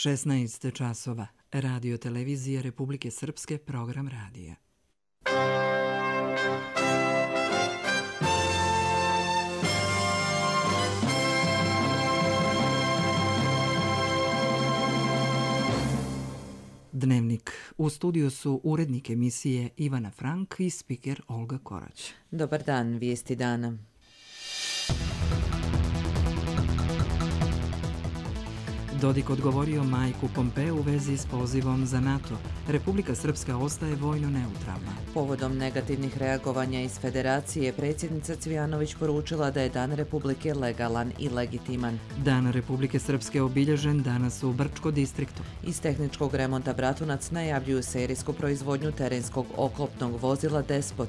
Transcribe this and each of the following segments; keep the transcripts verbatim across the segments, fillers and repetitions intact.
šesnaest časova. Radio televizije Republike Srpske, program radija. Dnevnik. U studiju su urednik emisije Ivana Frank i spiker Olga Korać. Dobar dan, vijesti dana. Dodik odgovorio Majku Pompeu u vezi s pozivom za NATO. Republika Srpska ostaje vojno neutralna. Povodom negativnih reagovanja iz Federacije, predsjednica Cvijanović poručila da je Dan Republike legalan i legitiman. Dan Republike Srpske obilježen danas u Brčko distriktu. Iz tehničkog remonta Bratunac najavljuju serijsku proizvodnju terenskog oklopnog vozila Despot.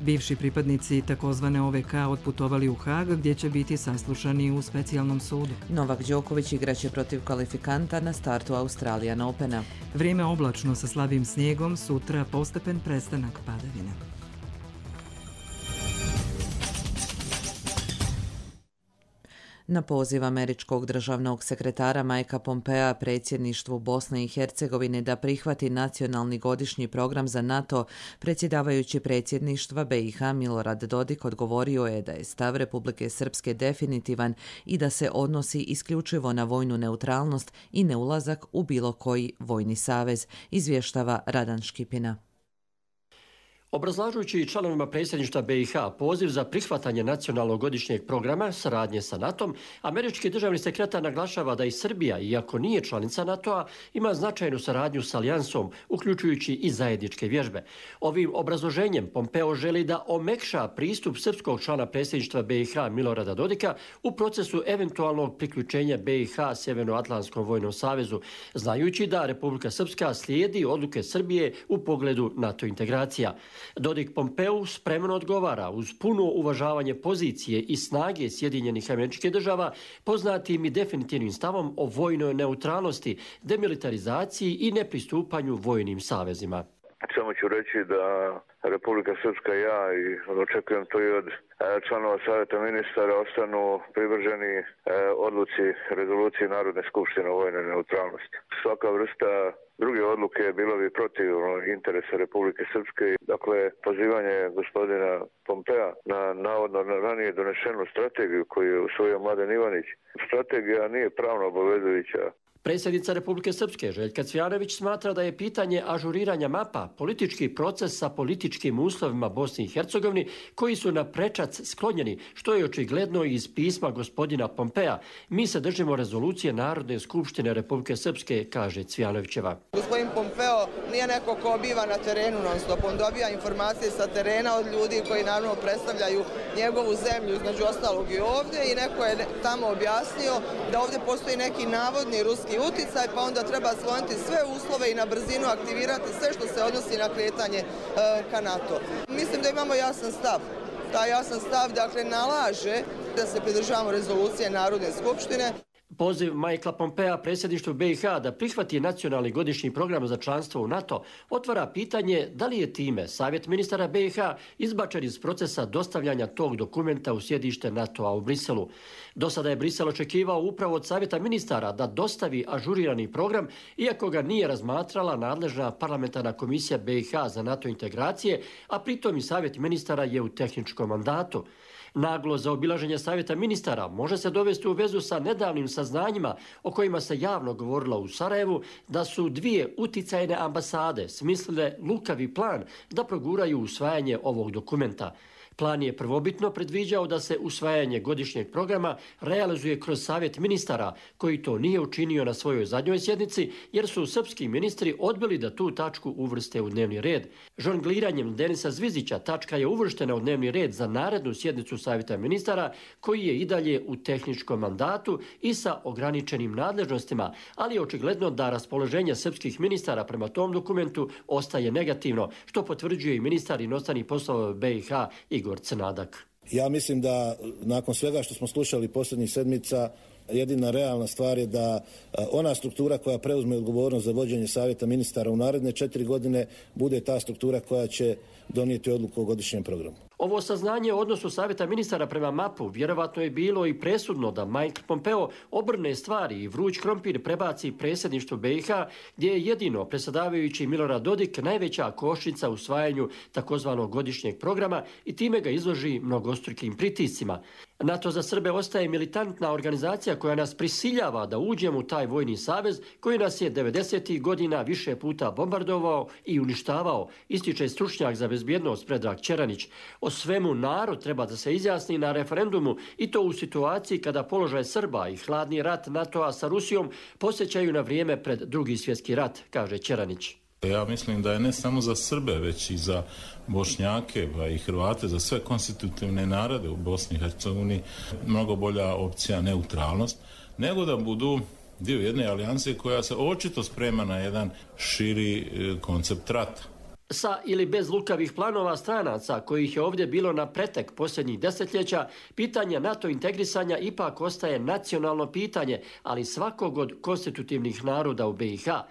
Bivši pripadnici takozvane O V K otputovali u Hag, gdje će biti saslušani u specijalnom sudu. Novak Đoković igraće protiv kvalifikanta na startu Australian Opena. Vrijeme oblačno sa slabim snijegom, sutra postepen prestanak padavina. Na poziv američkog državnog sekretara Majka Pompea predsjedništvu Bosne i Hercegovine da prihvati nacionalni godišnji program za NATO, predsjedavajući predsjedništva B i H Milorad Dodik odgovorio je da je stav Republike Srpske definitivan i da se odnosi isključivo na vojnu neutralnost i neulazak u bilo koji vojni savez, izvještava Radan Škipina. Obrazlažujući članovima predsjedništva B i H poziv za prihvatanje nacionalnog godišnjeg programa saradnje sa NATO-om, američki državni sekretar naglašava da i Srbija, iako nije članica NATO-a, ima značajnu saradnju s alijansom, uključujući i zajedničke vježbe. Ovim obrazloženjem Pompeo želi da omekša pristup srpskog člana predsjedništva B i H Milorada Dodika u procesu eventualnog priključenja B i H Sjevernoatlantskom vojnom savezu, znajući da Republika Srpska slijedi odluke Srbije u pogledu NATO integracija. Dodik Pompeu spremno odgovara uz puno uvažavanje pozicije i snage Sjedinjenih Američkih Država, poznatim i definitivnim stavom o vojnoj neutralnosti, demilitarizaciji i nepristupanju vojnim savezima. Samo ću reći da Republika Srpska i ja, i očekujem to i od članova Savjeta ministara, ostanu privrženi odluci rezolucije Narodne skupštine o vojnoj neutralnosti. Svaka vrsta druge odluke bilo bi protiv interesa Republike Srpske. Dakle, pozivanje gospodina Pompea na navodno ranije donešenu strategiju koju je usvojio Mladen Ivanić. Strategija nije pravno obavezujuća. Predsjednica Republike Srpske Željka Cvijanović smatra da je pitanje ažuriranja mapa politički proces sa političkim uslovima Bosni i Hercegovini koji su na prečac sklonjeni, što je očigledno iz pisma gospodina Pompea. Mi se držimo rezolucije Narodne skupštine Republike Srpske, kaže Cvijanovićeva. Gospodin Pompeo nije neko ko biva na terenu non stop. On dobija informacije sa terena od ljudi koji naravno predstavljaju njegovu zemlju, između ostalog i ovdje, i neko je tamo objasnio da ovdje postoji neki navodni ruski uticaj, pa onda treba skloniti sve uslove i na brzinu aktivirati sve što se odnosi na kretanje e, ka NATO. Mislim da imamo jasan stav. Taj jasan stav, dakle, nalaže da se pridržavamo rezolucije Narodne skupštine. Poziv Majkla Pompea predsjedništvu B i H da prihvati nacionalni godišnji program za članstvo u NATO otvara pitanje da li je time Savjet ministara B i H izbačen iz procesa dostavljanja tog dokumenta u sjedište NATO-a u Briselu. Do sada je Brisel očekivao upravo od Savjeta ministara da dostavi ažurirani program, iako ga nije razmatrala nadležna parlamentarna komisija B i H za NATO integracije, a pritom i Savjet ministara je u tehničkom mandatu. Naglo zaobilaženje Savjeta ministara može se dovesti u vezu sa nedavnim saznanjima o kojima se javno govorilo u Sarajevu da su dvije uticajne ambasade smislile lukavi plan da proguraju usvajanje ovog dokumenta. Plan je prvobitno predviđao da se usvajanje godišnjeg programa realizuje kroz Savjet ministara, koji to nije učinio na svojoj zadnjoj sjednici, jer su srpski ministri odbili da tu tačku uvrste u dnevni red. Žongliranjem Denisa Zvizića tačka je uvrštena u dnevni red za narednu sjednicu Savjeta ministara, koji je i dalje u tehničkom mandatu i sa ograničenim nadležnostima, ali je očigledno da raspoloženje srpskih ministara prema tom dokumentu ostaje negativno, što potvrđuje i ministar inostranih poslova B i H Igor Crnadak. Ja mislim da nakon svega što smo slušali posljednjih sedmica, jedina realna stvar je da ona struktura koja preuzme odgovornost za vođenje Savjeta ministara u naredne četiri godine bude ta struktura koja će donijeti odluku o godišnjem programu. Ovo saznanje o odnosu Savjeta ministara prema mapu vjerovatno je bilo i presudno da Mike Pompeo obrne stvari i vruć krompir prebaci predsjedništvu B i H, gdje je jedino predsjedavajući Milorad Dodik najveća kočnica u usvajanju takozvanog godišnjeg programa i time ga izloži mnogostrukim pritiscima. NATO za Srbe ostaje militantna organizacija koja nas prisiljava da uđemo u taj vojni savez koji nas je devedesetih godina više puta bombardovao i uništavao, ističe stručnjak za bezbjednost Predrag Čeranić. O svemu narod treba da se izjasni na referendumu i to u situaciji kada položaj Srba i hladni rat NATO-a sa Rusijom posjećaju na vrijeme pred Drugi svjetski rat, kaže Čeranić. Ja mislim da je ne samo za Srbe, već i za Bošnjake pa i Hrvate, za sve konstitutivne narode u Bosni i Hercegovini mnogo bolja opcija neutralnost, nego da budu dio jedne alijanse koja se očito sprema na jedan širi koncept rata. Sa ili bez lukavih planova stranaca, kojih je ovdje bilo na pretek posljednjih desetljeća, pitanje NATO integrisanja ipak ostaje nacionalno pitanje, ali svakog od konstitutivnih naroda u B i H.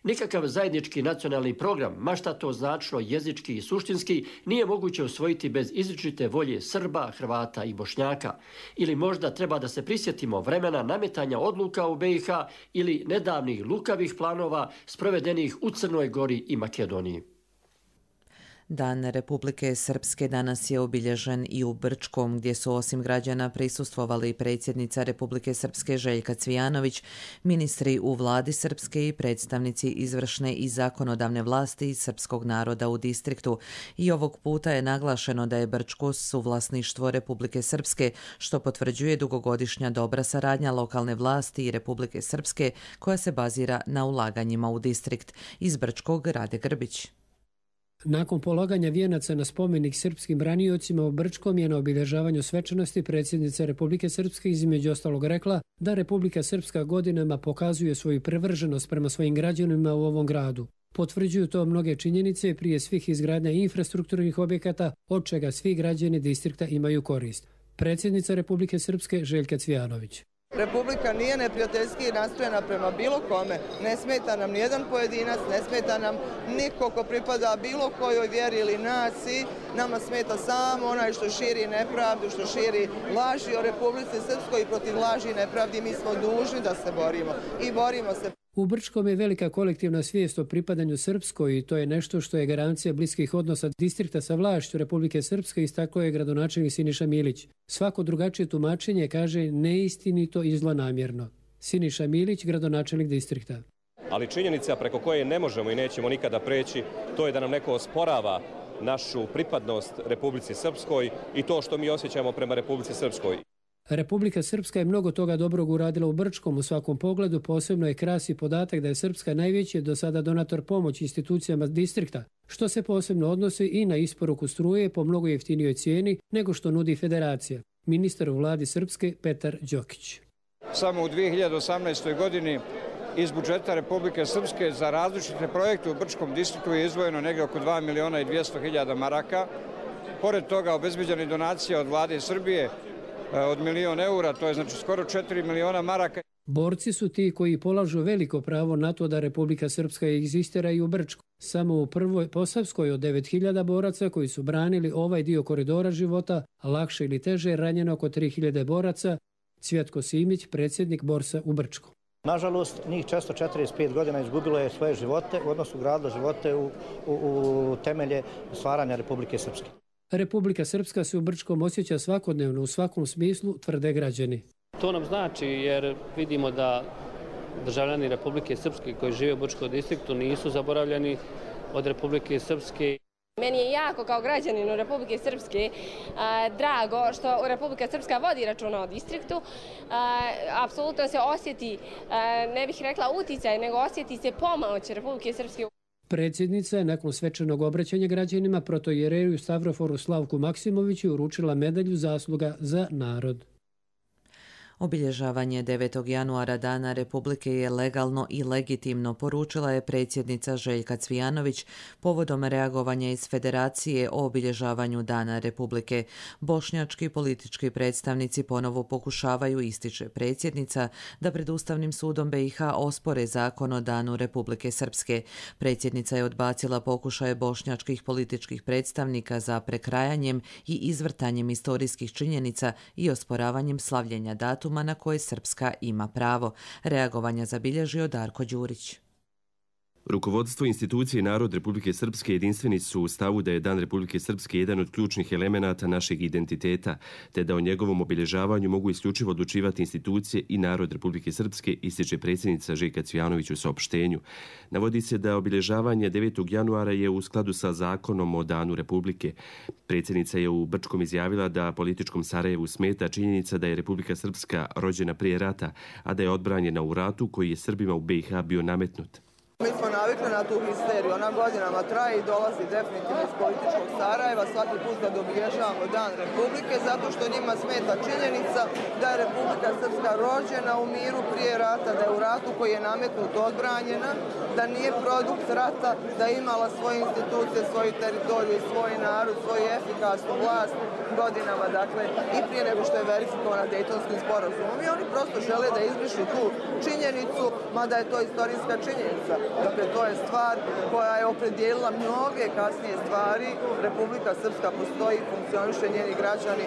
Nikakav zajednički nacionalni program, ma šta to značilo jezički i suštinski, nije moguće usvojiti bez izričite volje Srba, Hrvata i Bošnjaka. Ili možda treba da se prisjetimo vremena nametanja odluka u B i H ili nedavnih lukavih planova sprovedenih u Crnoj Gori i Makedoniji. Dan Republike Srpske danas je obilježen i u Brčkom, gdje su osim građana prisustvovali predsjednica Republike Srpske Željka Cvijanović, ministri u vladi Srpske i predstavnici izvršne i zakonodavne vlasti srpskog naroda u distriktu. I ovog puta je naglašeno da je Brčko suvlasništvo Republike Srpske, što potvrđuje dugogodišnja dobra saradnja lokalne vlasti i Republike Srpske, koja se bazira na ulaganjima u distrikt. Iz Brčkog Rade Grbić. Nakon polaganja vijenaca na spomenik srpskim braniocima u Brčkom je na obilježavanju svečanosti predsjednica Republike Srpske između ostalog rekla da Republika Srpska godinama pokazuje svoju privrženost prema svojim građanima u ovom gradu. Potvrđuju to mnoge činjenice, prije svih izgradnja infrastrukturnih objekata, od čega svi građani distrikta imaju korist. Predsjednica Republike Srpske Željka Cvijanović. Republika nije neprijateljski nastrojena prema bilo kome. Ne smeta nam nijedan pojedinac, ne smeta nam niko ko pripada bilo kojoj vjeri ili naciji. Nama smeta samo onaj što širi nepravdu, što širi laži o Republici Srpskoj i protiv laži i nepravdi mi smo dužni da se borimo i borimo se. U Brčkom je velika kolektivna svijest o pripadanju Srpskoj i to je nešto što je garancija bliskih odnosa distrikta sa vlašću Republike Srpske, istakao je gradonačelnik Siniša Milić. Svako drugačije tumačenje kaže neistinito i zlonamjerno. Siniša Milić, gradonačelnik distrikta. Ali činjenica preko koje ne možemo i nećemo nikada preći, to je da nam neko osporava našu pripadnost Republici Srpskoj i to što mi osjećamo prema Republici Srpskoj. Republika Srpska je mnogo toga dobrog uradila u Brčkom u svakom pogledu, posebno je krasi podatak da je Srpska najveći do sada donator pomoći institucijama distrikta, što se posebno odnosi i na isporuku struje po mnogo jeftinijoj cijeni nego što nudi federacija. Ministar u vladi Srpske Petar Đokić. Samo u dvije hiljade osamnaestoj. godini iz budžeta Republike Srpske za različite projekte u Brčkom distriktu je izdvojeno negdje oko dva miliona i dvjesto hiljada maraka. Pored toga obezbeđena je donacija od vlade Srbije od milion eura, to je znači skoro četiri miliona maraka. Borci su ti koji polažu veliko pravo na to da Republika Srpska egzistira i u Brčku. Samo u prvoj Posavskoj od devet hiljada boraca koji su branili ovaj dio koridora života, a lakše ili teže ranjeno oko tri hiljade boraca, Cvjetko Simić, predsjednik Borsa u Brčku. Nažalost, njih često četrdeset pet godina izgubilo je svoje živote, odnosno gradilo živote u, u, u temelje stvaranja Republike Srpske. Republika Srpska se u Brčkom osjeća svakodnevno u svakom smislu, tvrde građani. To nam znači jer vidimo da državljani Republike Srpske koji žive u Brčkom distriktu nisu zaboravljeni od Republike Srpske. Meni je jako kao građaninu Republike Srpske a, drago što Republika Srpska vodi računa o distriktu. A, apsolutno se osjeti, a, ne bih rekla uticaj, nego osjeti se pomoć Republike Srpske. Predsjednica je nakon svečanog obraćanja građanima protoijereju Stavroforu Slavku Maksimoviću uručila medalju zasluga za narod. Obilježavanje devetog januara Dana Republike je legalno i legitimno, poručila je predsjednica Željka Cvijanović povodom reagovanja iz Federacije o obilježavanju Dana Republike. Bošnjački politički predstavnici ponovo pokušavaju, ističe predsjednica, da pred Ustavnim sudom B i H ospore zakon o Danu Republike Srpske. Predsjednica je odbacila pokušaje bošnjačkih političkih predstavnika za prekrajanjem i izvrtanjem historijskih činjenica i osporavanjem slavljenja datuma na koje Srpska ima pravo. Reagovanja zabilježio Darko Đurić. Rukovodstvo institucije i narod Republike Srpske jedinstveni su u stavu da je Dan Republike Srpske jedan od ključnih elemenata našeg identiteta, te da o njegovom obilježavanju mogu isključivo odlučivati institucije i narod Republike Srpske, ističe predsjednica Željka Cvijanović u saopštenju. Navodi se da obilježavanje devetog januara je u skladu sa zakonom o Danu Republike. Predsjednica je u Brčkom izjavila da političkom Sarajevu smeta činjenica da je Republika Srpska rođena prije rata, a da je odbranjena u ratu koji je Srbima u B i H bio nametnut. Mi smo navikli na tu histeriju, ona godinama traje i dolazi definitivno iz političkog Sarajeva svaki put kad obilježavamo Dan Republike, zato što njima smeta činjenica da je Republika Srpska rođena u miru prije rata, da je u ratu koji je nametnut odbranjena, da nije produkt rata, da je imala svoje institucije, svoju teritoriju, svoj narod, svoju efikasnu vlast godinama, dakle, i prije nego što je verifikovana Dejtonskim sporazumom. I oni prosto žele da izbrišu tu činjenicu, mada je to istorijska činjenica. Dakle, to je stvar koja je opredijelila mnoge kasnije stvari. Republika Srpska postoji, funkcioniše, njeni građani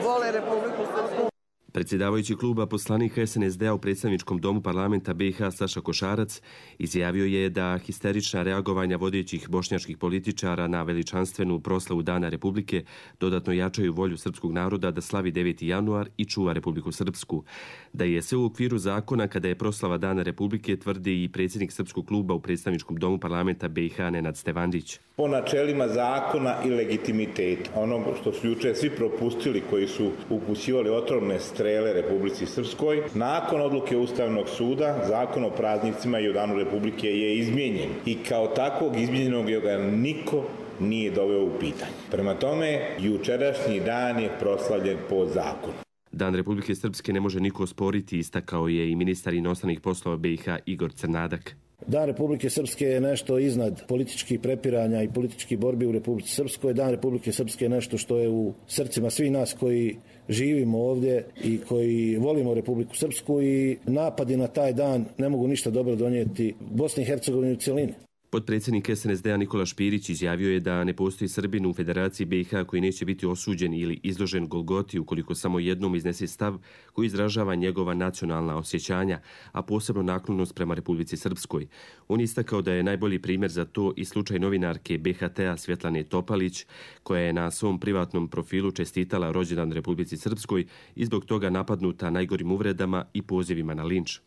vole Republiku Srpsku. Predsjedavajući kluba poslanika S N S D-a u predstavničkom domu parlamenta B i H Saša Košarac izjavio je da histerična reagovanja vodećih bošnjačkih političara na veličanstvenu proslavu Dana Republike dodatno jačaju volju srpskog naroda da slavi deveti januar i čuva Republiku Srpsku. Da je sve u okviru zakona kada je proslava Dana Republike, tvrdi i predsjednik srpskog kluba u predstavničkom domu parlamenta B i H Nenad Stevandić. Po načelima zakona i legitimiteta, onog što su juče svi propustili koji su upućivali otrovne strele Republici Srpskoj, nakon odluke Ustavnog suda, zakon o praznicima i o Danu Republike je izmijenjen i kao takvog izmijenjenog ga niko nije doveo u pitanje. Prema tome, jučerašnji dan je proslavljen po zakonu. Dan Republike Srpske ne može niko osporiti, istakao je i ministar inostranih poslova B i H Igor Crnadak. Dan Republike Srpske je nešto iznad političkih prepiranja i političkih borbi u Republici Srpskoj. Dan Republike Srpske je nešto što je u srcima svih nas koji živimo ovdje i koji volimo Republiku Srpsku, i napadi na taj dan ne mogu ništa dobro donijeti Bosni i Hercegovini u cjelini. Potpredsjednik S N S D-a Nikola Špirić izjavio je da ne postoji Srbin u Federaciji B i H koji neće biti osuđen ili izložen Golgoti ukoliko samo jednom iznese stav koji izražava njegova nacionalna osjećanja, a posebno naklonost prema Republici Srpskoj. On istakao da je najbolji primjer za to i slučaj novinarke B H T-a Svjetlane Topalić, koja je na svom privatnom profilu čestitala rođendan Republici Srpskoj i zbog toga napadnuta najgorim uvredama i pozivima na linč.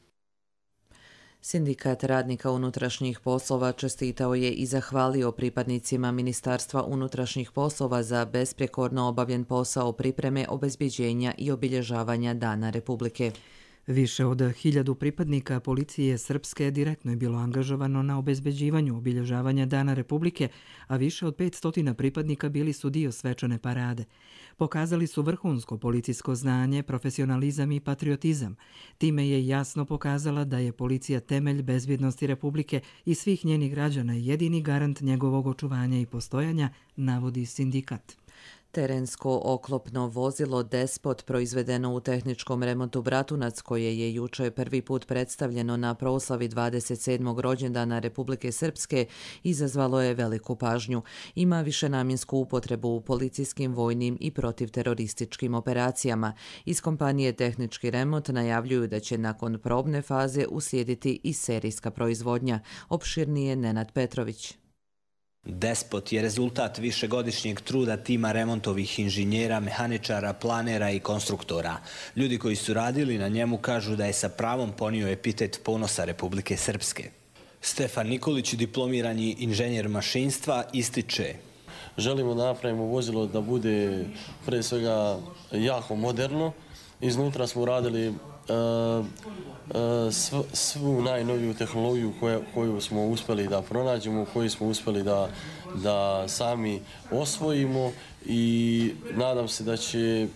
Sindikat radnika unutrašnjih poslova čestitao je i zahvalio pripadnicima Ministarstva unutrašnjih poslova za besprijekorno obavljen posao pripreme, obezbjeđenja i obilježavanja Dana Republike. Više od hiljadu pripadnika policije Srpske direktno je bilo angažovano na obezbeđivanju obilježavanja Dana Republike, a više od petsto pripadnika bili su dio svečane parade. Pokazali su vrhunsko policijsko znanje, profesionalizam i patriotizam. Time je jasno pokazala da je policija temelj bezbjednosti Republike i svih njenih građana i jedini garant njegovog očuvanja i postojanja, navodi sindikat. Terensko oklopno vozilo Despot, proizvedeno u tehničkom remontu Bratunac, koje je juče prvi put predstavljeno na proslavi dvadeset sedmog rođendana Republike Srpske, izazvalo je veliku pažnju. Ima višenamjensku upotrebu u policijskim, vojnim i protivterorističkim operacijama. Iz kompanije Tehnički remont najavljuju da će nakon probne faze uslijediti i serijska proizvodnja. Opširnije Nenad Petrović. Despot je rezultat višegodišnjeg truda tima remontovih inženjera, mehaničara, planera i konstruktora. Ljudi koji su radili na njemu kažu da je sa pravom ponio epitet ponosa Republike Srpske. Stefan Nikolić, diplomirani inženjer mašinstva, ističe: želimo da napravimo vozilo da bude pre svega jako moderno. Iznutra smo uradili uh, uh, sv, svu najnoviju tehnologiju koju, koju smo uspjeli da pronađemo, koju smo uspjeli da, da sami osvojimo, i nadam se da će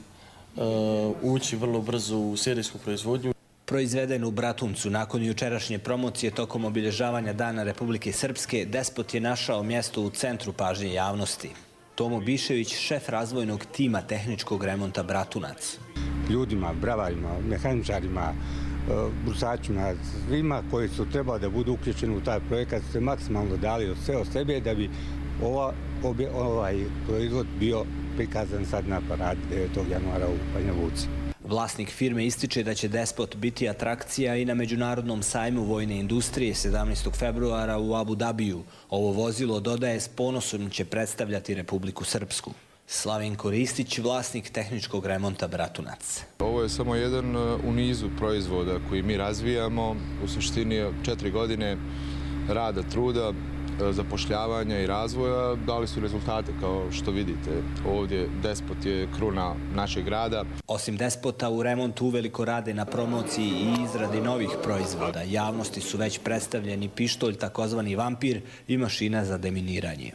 ući vrlo brzo u serijsku proizvodnju. Proizveden u Bratuncu nakon jučerašnje promocije tokom obilježavanja Dana Republike Srpske, Despot je našao mjesto u centru pažnje javnosti. Tomo Bišević, šef razvojnog tima tehničkog remonta Bratunac. Ljudima, bravarima, mehaničarima, brusačima, svima koji su trebali da budu uključeni u taj projekat, se maksimalno dali od sve od sebe da bi ova, obje, ovaj proizvod bio prikazan sad na paradi devetog januara u Banja Luci. Vlasnik firme ističe da će Despot biti atrakcija i na Međunarodnom sajmu vojne industrije sedamnaestog februara u Abu Dabiju. Ovo vozilo, dodaje, s ponosom će predstavljati Republiku Srpsku. Slavenko Ristić, vlasnik tehničkog remonta Bratunac. Ovo je samo jedan u nizu proizvoda koji mi razvijamo. U suštini četiri godine rada, truda, zapošljavanja i razvoja dali su rezultate, kao što vidite. Ovdje Despot je kruna našeg grada. Osim Despota, u remontu uveliko rade na promociji i izradi novih proizvoda. Javnosti su već predstavljeni pištolj, takozvani vampir, i mašina za deminiranje.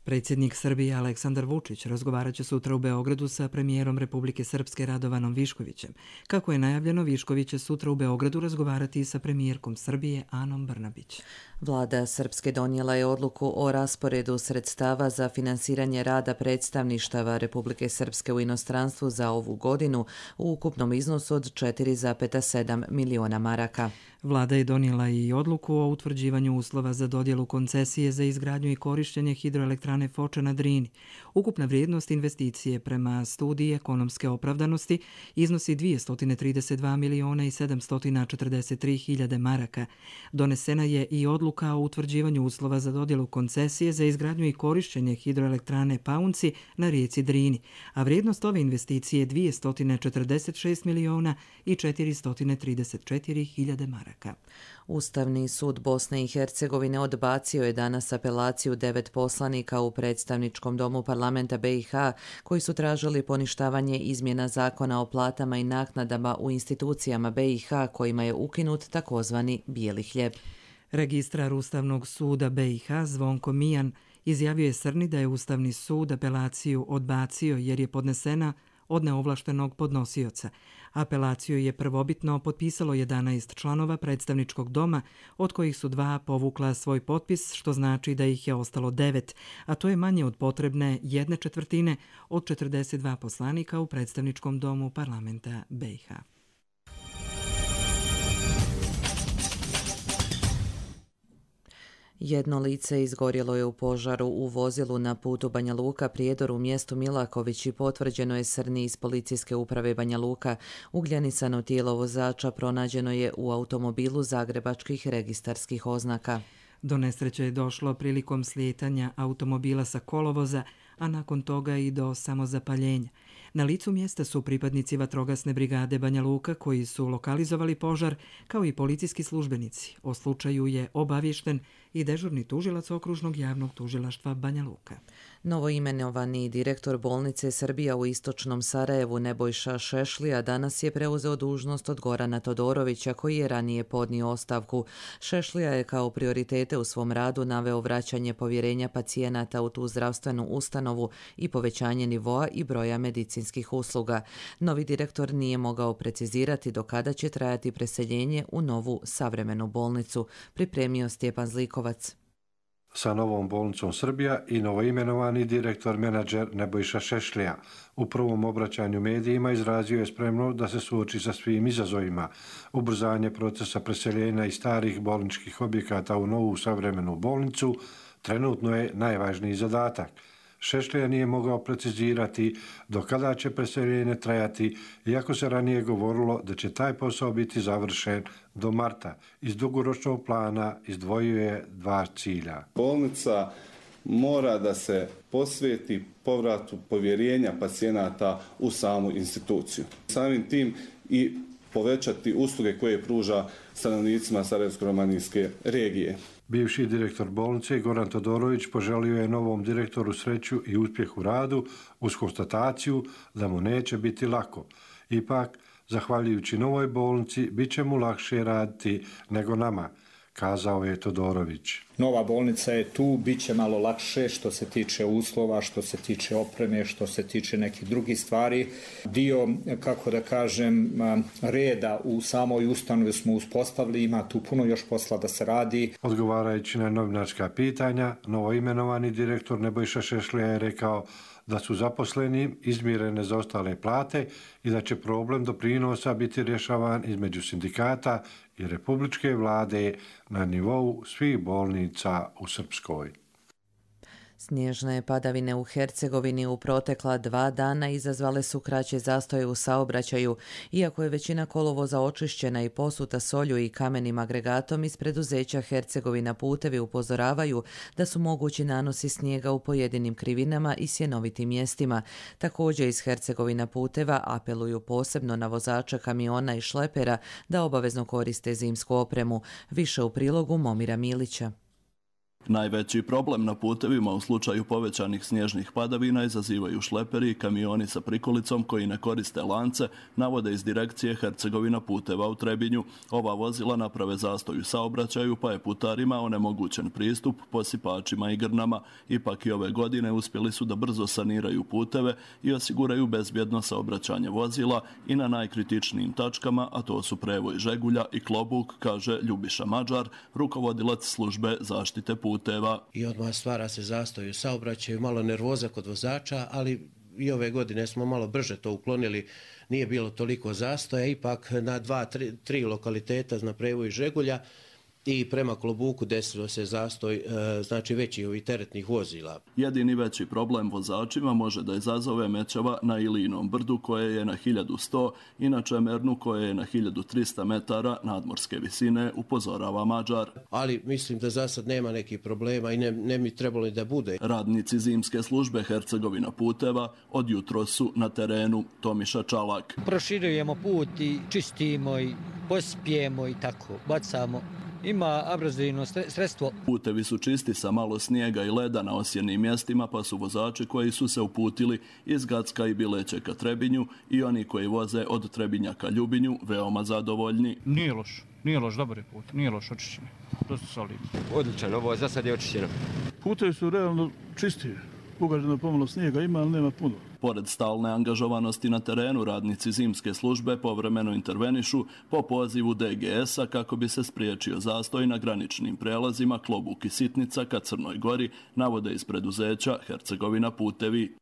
Predsjednik Srbije Aleksandar Vučić razgovarat će sutra u Beogradu sa premijerom Republike Srpske Radovanom Viškovićem. Kako je najavljeno, Višković će sutra u Beogradu razgovarati i sa premijerkom Srbije Anom Brnabić. Vlada Srpske donijela je odluku o rasporedu sredstava za finansiranje rada predstavništava Republike Srpske u inostranstvu za ovu godinu u ukupnom iznosu od četiri zarez sedam miliona maraka. Vlada je donijela i odluku o utvrđivanju uslova za dodjelu koncesije za izgradnju i korištenje hidroelektrane Foča na Drini. Ukupna vrijednost investicije prema studiji ekonomske opravdanosti iznosi dvjesto trideset dva miliona i sedamsto četrdeset tri hiljade maraka. Donesena je i odluka o utvrđivanju uslova za dodjelu koncesije za izgradnju i korištenje hidroelektrane Paunci na rijeci Drini, a vrijednost ove investicije je dvjesto četrdeset šest miliona i četiristo trideset četiri hiljade maraka. Ustavni sud Bosne i Hercegovine odbacio je danas apelaciju devet poslanika u predstavničkom domu parlamenta B i H koji su tražili poništavanje izmjena zakona o platama i naknadama u institucijama B i H kojima je ukinut takozvani bijeli hljeb. Registrar Ustavnog suda B i H Zvonko Mijan izjavio je Srni da je Ustavni sud apelaciju odbacio jer je podnesena od neovlaštenog podnosioca. Apelaciju je prvobitno potpisalo jedanaest članova predstavničkog doma, od kojih su dva povukla svoj potpis, što znači da ih je ostalo devet, a to je manje od potrebne jedne četvrtine od četrdeset dva poslanika u predstavničkom domu parlamenta B i H. Jedno lice izgorjelo je u požaru u vozilu na putu Banja Luka Prijedor u mjestu Milaković i potvrđeno je Srni iz policijske uprave Banja Luka. Ugljenisano tijelo vozača pronađeno je u automobilu zagrebačkih registarskih oznaka. Do nesreće je došlo prilikom slijetanja automobila sa kolovoza, a nakon toga i do samozapaljenja. Na licu mjesta su pripadnici vatrogasne brigade Banja Luka koji su lokalizovali požar, kao i policijski službenici. O slučaju je obaviješten i dežurni tužilac okružnog javnog tužilaštva Banja Luka. Novoimenovani direktor bolnice Srbija u istočnom Sarajevu Nebojša Šešlija danas je preuzeo dužnost od Gorana Todorovića koji je ranije podnio ostavku. Šešlija je kao prioritete u svom radu naveo vraćanje povjerenja pacijenata u tu zdravstvenu ustanovu i povećanje nivoa i broja medicinskih usluga. Novi direktor nije mogao precizirati do kada će trajati preseljenje u novu savremenu bolnicu, pripremio Stjepan Zlikovac. Sa novom bolnicom Srbija i novoimenovani direktor menadžer Nebojša Šešlija u prvom obraćanju medijima izrazio je spremnost da se suoči sa svim izazovima. Ubrzanje procesa preseljenja iz starih bolničkih objekata u novu savremenu bolnicu trenutno je najvažniji zadatak. Šešlija nije mogao precizirati do kada će preseljenje trajati, iako se ranije govorilo da će taj posao biti završen do marta. Iz dugoročnog plana izdvojio je dva cilja. Bolnica mora da se posveti povratu povjerenja pacijenata u samu instituciju. Samim tim i povećati usluge koje pruža stanovnicima Sarajevsko-romanijske regije. Bivši direktor bolnice Goran Todorović poželio je novom direktoru sreću i uspjeh u radu uz konstataciju da mu neće biti lako. Ipak, zahvaljujući novoj bolnici, bit će mu lakše raditi nego nama, kazao je Todorović. Nova bolnica je tu, bit će malo lakše što se tiče uslova, što se tiče opreme, što se tiče nekih drugih stvari. Dio, kako da kažem, reda u samoj ustanovi smo uspostavili, ima tu puno još posla da se radi. Odgovarajući na novinarska pitanja, novoimenovani direktor Nebojša Šešlija je rekao da su zaposleni izmirene zaostale plate i da će problem doprinosa biti rješavan između sindikata i republičke vlade na nivou svih bolnica u Srpskoj. Snježne padavine u Hercegovini u protekla dva dana izazvale su kraće zastoje u saobraćaju, iako je većina kolovoza očišćena i posuta solju i kamenim agregatom. Iz preduzeća Hercegovina putevi upozoravaju da su mogući nanosi snijega u pojedinim krivinama i sjenovitim mjestima. Također iz Hercegovina puteva apeluju posebno na vozače kamiona i šlepera da obavezno koriste zimsku opremu. Više u prilogu Momira Milića. Najveći problem na putevima u slučaju povećanih snježnih padavina izazivaju šleperi i kamioni sa prikolicom koji ne koriste lance, navode iz direkcije Hercegovina puteva u Trebinju. Ova vozila naprave zastoj u saobraćaju, pa je putarima onemogućen pristup posipačima i grnama. Ipak i ove godine uspjeli su da brzo saniraju puteve i osiguraju bezbjedno saobraćanje vozila i na najkritičnijim tačkama, a to su Prevoj Žegulja i Klobuk, kaže Ljubiša Mađar, rukovodilac službe zaštite puteva. I odmah stvara se zastoj u saobraćaju, malo nervoza kod vozača, ali i ove godine smo malo brže to uklonili, nije bilo toliko zastoja, ipak na dva, tri, tri lokaliteta na Prevoju Žegulja i prema Klobuku desilo se zastoj, znači veći ovih teretnih vozila. Jedini veći problem vozačima može da izazove mećava na Ilinom brdu koje je na hiljadu sto i na Čemernu koje je na hiljadu trista metara nadmorske visine, upozorava Mađar. Ali mislim da za sad nema nekih problema i ne, ne mi trebalo da bude. Radnici zimske službe Hercegovina puteva od jutro su na terenu. Tomiša Čalak. Proširujemo put i čistimo i pospijemo i tako, bacamo. Ima abrazivno sredstvo. Putevi su čisti sa malo snijega i leda na osjenim mjestima, pa su vozači koji su se uputili iz Gacka i Bileće ka Trebinju i oni koji voze od Trebinja ka Ljubinju veoma zadovoljni. Nije loš, nije loš, dobar je put, nije loš, očišćen. Dosta solidno. Odličan, ovo je za sad je očišćeno. Putevi su realno čisti. Ugaženo pomalo snijega ima, ali nema puno. Pored stalne angažovanosti na terenu, radnici zimske službe povremeno intervenišu po pozivu D G S-a kako bi se spriječio zastoj na graničnim prelazima Klobuk i Sitnica ka Crnoj Gori, navode iz preduzeća Hercegovina putevi.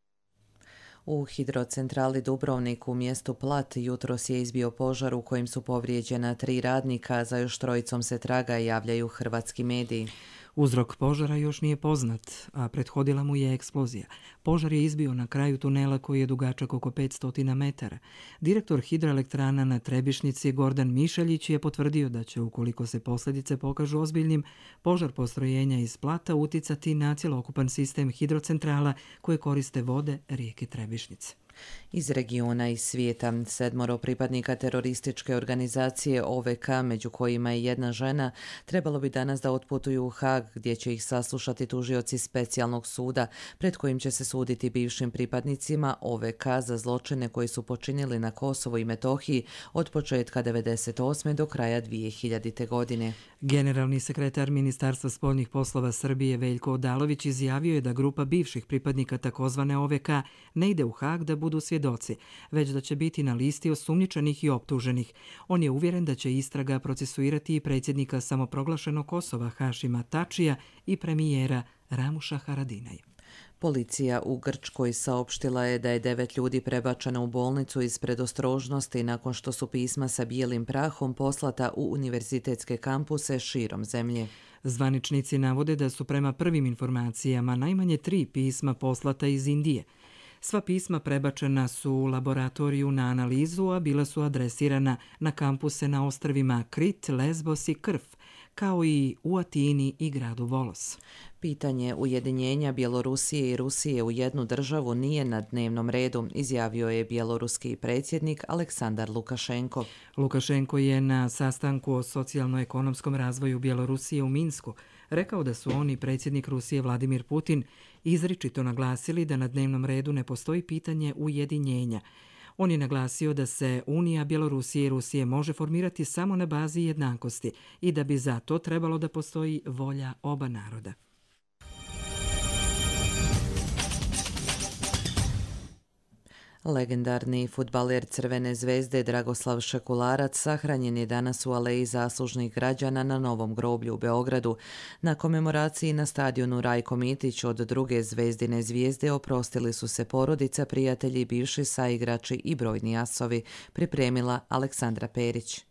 U hidrocentrali Dubrovnik u mjestu Plat jutros je izbio požar u kojem su povrijeđena tri radnika, za još trojicom se traga, javljaju hrvatski mediji. Uzrok požara još nije poznat, a prethodila mu je eksplozija. Požar je izbio na kraju tunela koji je dugačak oko petsto metara. Direktor hidroelektrana na Trebišnici Gordan Mišeljić je potvrdio da će, ukoliko se posljedice pokažu ozbiljnim, požar postrojenja iz Plata uticati na cjelokupan sistem hidrocentrala koje koriste vode rijeke Trebišnice. Iz regiona i svijeta sedmoro pripadnika terorističke organizacije O V K, među kojima je jedna žena, trebalo bi danas da otputuju u Hag, gdje će ih saslušati tužioci specijalnog suda, pred kojim će se suditi bivšim pripadnicima O V K za zločine koji su počinili na Kosovu i Metohiji od početka devedeset osme do kraja dvije hiljadite. godine. Generalni sekretar Ministarstva spoljnih poslova Srbije Veljko Odalović izjavio je da grupa bivših pripadnika takozvane O V K ne ide u Hag da budu svjedoci, već da će biti na listi osumnjičenih i optuženih. On je uvjeren da će istraga procesuirati i predsjednika samoproglašenog Kosova Hašima Tačija i premijera Ramuša Haradinaja. Policija u Grčkoj saopštila je da je devet ljudi prebačeno u bolnicu iz predostrožnosti nakon što su pisma sa bijelim prahom poslata u univerzitetske kampuse širom zemlje. Zvaničnici navode da su prema prvim informacijama najmanje tri pisma poslata iz Indije. Sva pisma prebačena su u laboratoriju na analizu, a bila su adresirana na kampuse na ostrvima Krit, Lesbos i Krf, kao i u Atini i gradu Volos. Pitanje ujedinjenja Bjelorusije i Rusije u jednu državu nije na dnevnom redu, izjavio je bjeloruski predsjednik Aleksandar Lukašenko. Lukašenko je na sastanku o socijalno-ekonomskom razvoju Bjelorusije u Minsku rekao da su on i predsjednik Rusije Vladimir Putin izričito naglasili da na dnevnom redu ne postoji pitanje ujedinjenja. On je naglasio da se Unija Bjelorusije i Rusije može formirati samo na bazi jednakosti i da bi za to trebalo da postoji volja oba naroda. Legendarni fudbaler Crvene zvezde Dragoslav Šekularac sahranjen je danas u Aleji zaslužnih građana na Novom groblju u Beogradu. Na komemoraciji na stadionu Rajko Mitić od druge Zvezdine zvijezde oprostili su se porodica, prijatelji, bivši saigrači i brojni asovi, pripremila Aleksandra Perić.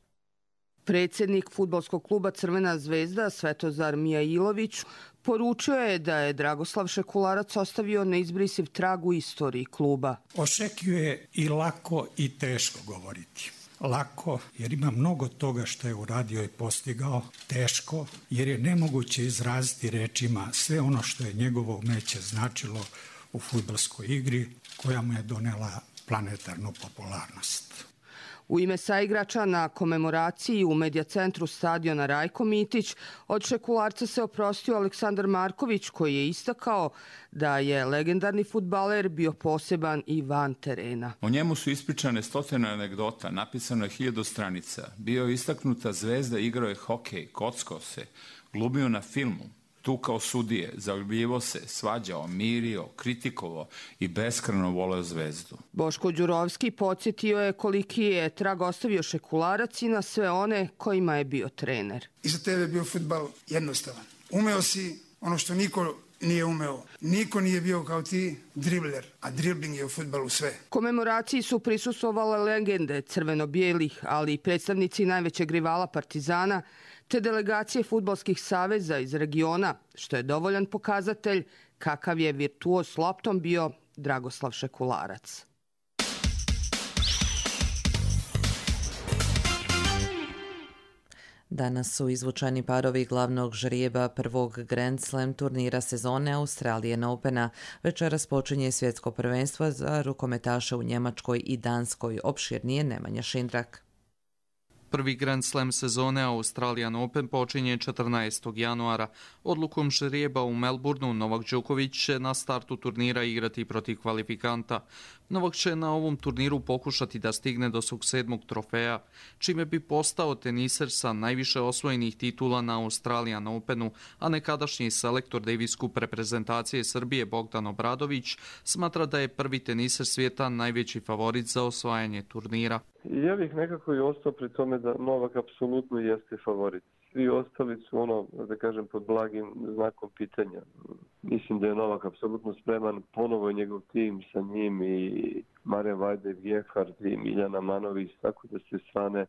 Predsjednik fudbalskog kluba Crvena zvezda Svetozar Mijailović poručio je da je Dragoslav Šekularac ostavio neizbrisiv trag u istoriji kluba. O Šekiju je i lako i teško govoriti. Lako jer ima mnogo toga što je uradio i postigao. Teško jer je nemoguće izraziti rečima sve ono što je njegovo umeće značilo u fudbalskoj igri koja mu je donela planetarnu popularnost. U ime saigrača na komemoraciji u medija centru stadiona Rajko Mitić od Šekularca se oprostio Aleksandar Marković, koji je istakao da je legendarni fudbaler bio poseban i van terena. O njemu su ispričane stotine anegdota, napisano je hiljadu stranica. Bio je istaknuta zvezda, igrao je hokej, kockao se, glumio na filmu. Tu kao sudije, zaljubljivo se, svađao, mirio, kritikovao i beskrajno voleo zvezdu. Boško Đurovski podsjetio je koliki je trag ostavio Šekularac i na sve one kojima je bio trener. Iza tebe je bio fudbal jednostavan. Umeo si ono što niko nije umeo. Niko nije bio kao ti dribler, a dribling je u fudbalu sve. Komemoraciji su prisustvovale legende crveno-bijelih, ali i predstavnici najvećeg rivala Partizana, te delegacije fudbalskih saveza iz regiona, što je dovoljan pokazatelj kakav je virtuoz s loptom bio Dragoslav Šekularac. Danas su izvučani parovi glavnog žrijeba prvog Grand Slam turnira sezone Australian Opena. Večeras počinje svjetsko prvenstvo za rukometaše u Njemačkoj i Danskoj. Opširnije Nemanja Šindrak. Prvi Grand Slam sezone Australian Open počinje četrnaestog januara. Odlukom žrijeba u Melbourneu Novak Đoković će na startu turnira igrati protiv kvalifikanta. Novak će na ovom turniru pokušati da stigne do svog sedmog trofeja, čime bi postao teniser sa najviše osvojenih titula na Australian Openu, a nekadašnji selektor Davis Cup reprezentacije Srbije Bogdan Obradović smatra da je prvi teniser svijeta najveći favorit za osvajanje turnira. Ja bih nekako i ostao pri tome da Novak apsolutno jeste favorit. Svi ostali su ono, da kažem, pod blagim znakom pitanja. Mislim da je Novak apsolutno spreman, ponovo je njegov tim sa njim i Marijan Vajda, Gehard i Miljana Manović, tako da s te strane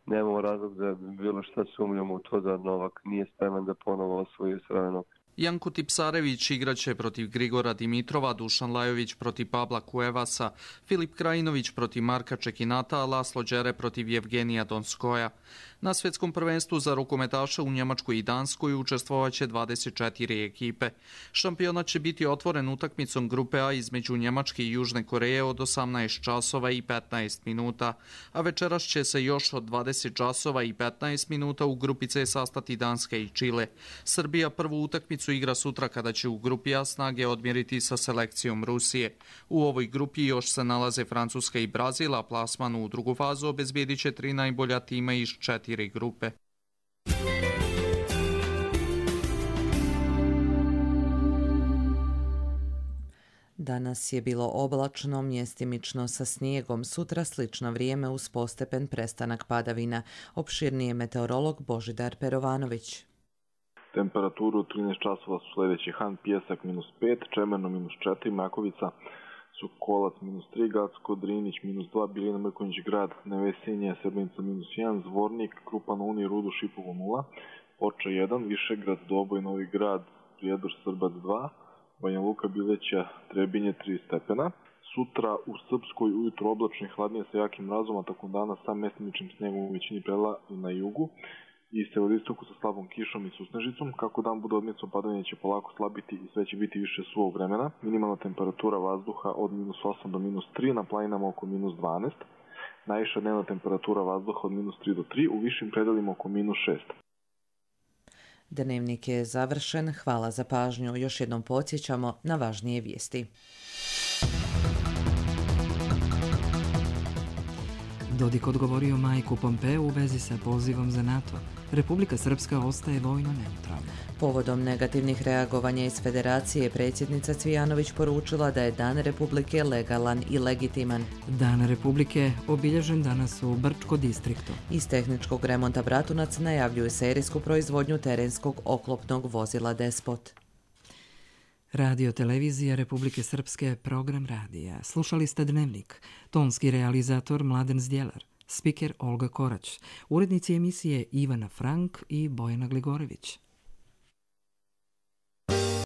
nemamo razlog da bilo šta sumnjamo u to da Novak nije spreman da ponovo osvoji Australian Open. Janko Tipsarević igraće protiv Grigora Dimitrova, Dušan Lajović protiv Pabla Kuevasa, Filip Krajinović protiv Marka Čekinata, a Laslo Đere protiv Jevgenija Donskoja. Na svjetskom prvenstvu za rukometaše u Njemačkoj i Danskoj učestvovaće dvadeset četiri ekipe. Šampionat će biti otvoren utakmicom grupe A između Njemačke i Južne Koreje od osamnaest časova i petnaest minuta, a večeras će se još od dvadeset časova i petnaest minuta u grupi C sastati Danska i Čile. Srbija prvu utakmicu igra sutra kada će u grupi A snage odmjeriti sa selekcijom Rusije. U ovoj grupi još se nalaze Francuska i Brazil, a plasman u drugu fazu obezbijedit će tri najbolja tima iz četiri grupe. Danas je bilo oblačno, mjestimično sa snijegom, sutra slično vrijeme uz postepen prestanak padavina. Opširnije meteorolog Božidar Perovanović. Temperaturu od trinaest časova su sljedeći: Han, Pjesak minus pet, Čemerno minus četiri, Makovica, Sokolac minus tri, Gacko, Drinić minus dva, Biljina, Mrkonjić grad, Nevesinje, Srbenica minus jedan, Zvornik, Krupan, Uni, Rudu, Šipovo nula, Oča jedan, Višegrad, Doboj, Novi grad, Prijedor, Srbac dva, Banja Luka, Bileća, Trebinje tri stepena. Sutra u Srpskoj ujutro oblačno i hladnije sa jakim mrazom, a tokom dana sa mestimičnim snegom u većini predela i na jugu i severistoku sa slabom kišom i susnežicom. Kako dan bude odmicom, padavanje će polako slabiti i sve će biti više suvog vremena. Minimalna temperatura vazduha od minus osam do minus tri, na planinama oko minus dvanaest. Najviša dnevna temperatura vazduha od minus tri do tri, u višim predelima oko minus šest. Dnevnik je završen. Hvala za pažnju. Još jednom podsjećamo na važnije vijesti. Dodik odgovorio Majku Pompeu u vezi sa pozivom za NATO. Republika Srpska ostaje vojno neutralna. Povodom negativnih reagovanja iz Federacije, predsjednica Cvijanović poručila da je Dan Republike legalan i legitiman. Dan Republike obilježen danas u Brčko distriktu. Iz tehničkog remonta Bratunac najavljuju serijsku proizvodnju terenskog oklopnog vozila Despot. Radio televizija Republike Srpske, program radija. Slušali ste Dnevnik. Tonski realizator Mladen Zdjelar. Spiker Olga Korać. Urednici emisije Ivana Frank i Bojana Gligorević.